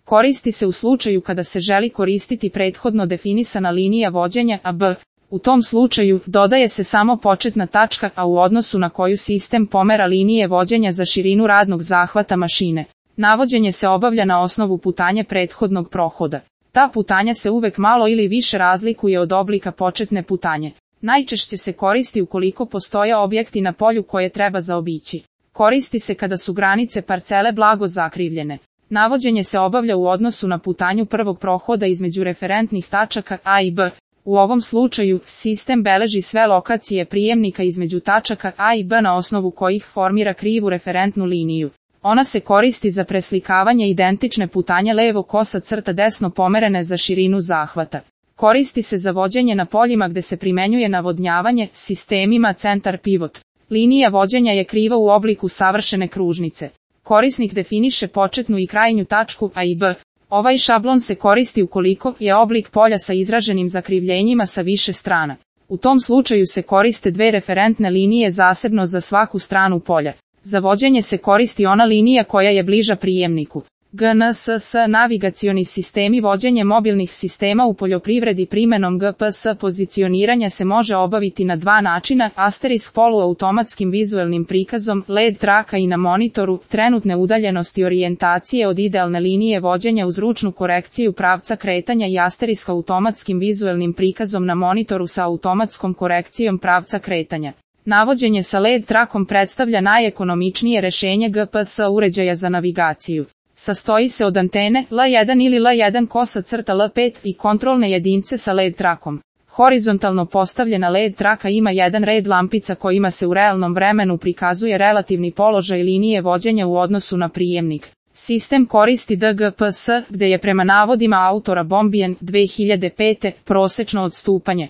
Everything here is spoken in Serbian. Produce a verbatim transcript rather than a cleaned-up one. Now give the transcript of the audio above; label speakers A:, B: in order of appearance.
A: Koristi se u slučaju kada se želi koristiti prethodno definisana linija vođenja A B. U tom slučaju, dodaje se samo početna tačka A u odnosu na koju sistem pomera linije vođenja za širinu radnog zahvata mašine. Navođenje se obavlja na osnovu putanje prethodnog prohoda. Ta putanja se uvek malo ili više razlikuje od oblika početne putanje. Najčešće se koristi ukoliko postoje objekti na polju koje treba zaobići. Koristi se kada su granice parcele blago zakrivljene. Navođenje se obavlja u odnosu na putanju prvog prohoda između referentnih tačaka A i B. U ovom slučaju, sistem beleži sve lokacije prijemnika između tačaka A i B na osnovu kojih formira krivu referentnu liniju. Ona se koristi za preslikavanje identične putanje levo kosa crta desno pomerene za širinu zahvata. Koristi se za vođenje na poljima gde se primenjuje navodnjavanje, sistemima centar pivot. Linija vođenja je kriva u obliku savršene kružnice. Korisnik definiše početnu i krajnju tačku A i B. Ovaj šablon se koristi ukoliko je oblik polja sa izraženim zakrivljenjima sa više strana. U tom slučaju se koriste dve referentne linije zasebno za svaku stranu polja. Za vođenje se koristi ona linija koja je bliža prijemniku. G N S S navigacioni sistemi. Vođenje mobilnih sistema u poljoprivredi primenom G P S pozicioniranja se može obaviti na dva načina, asterisk poluautomatskim vizuelnim prikazom, L E D traka i na monitoru, trenutne udaljenosti orijentacije od idealne linije vođenja uz ručnu korekciju pravca kretanja i asterisk automatskim vizuelnim prikazom na monitoru sa automatskom korekcijom pravca kretanja. Navođenje sa L E D trakom predstavlja najekonomičnije rešenje G P S uređaja za navigaciju. Sastoji se od antene L jedan ili L jedan kosa crta L pet i kontrolne jedince sa L E D trakom. Horizontalno postavljena L E D traka ima jedan red lampica kojima se u realnom vremenu prikazuje relativni položaj linije vođenja u odnosu na prijemnik. Sistem koristi D G P S, gde je prema navodima autora Bombijen dve hiljade pete prosečno odstupanje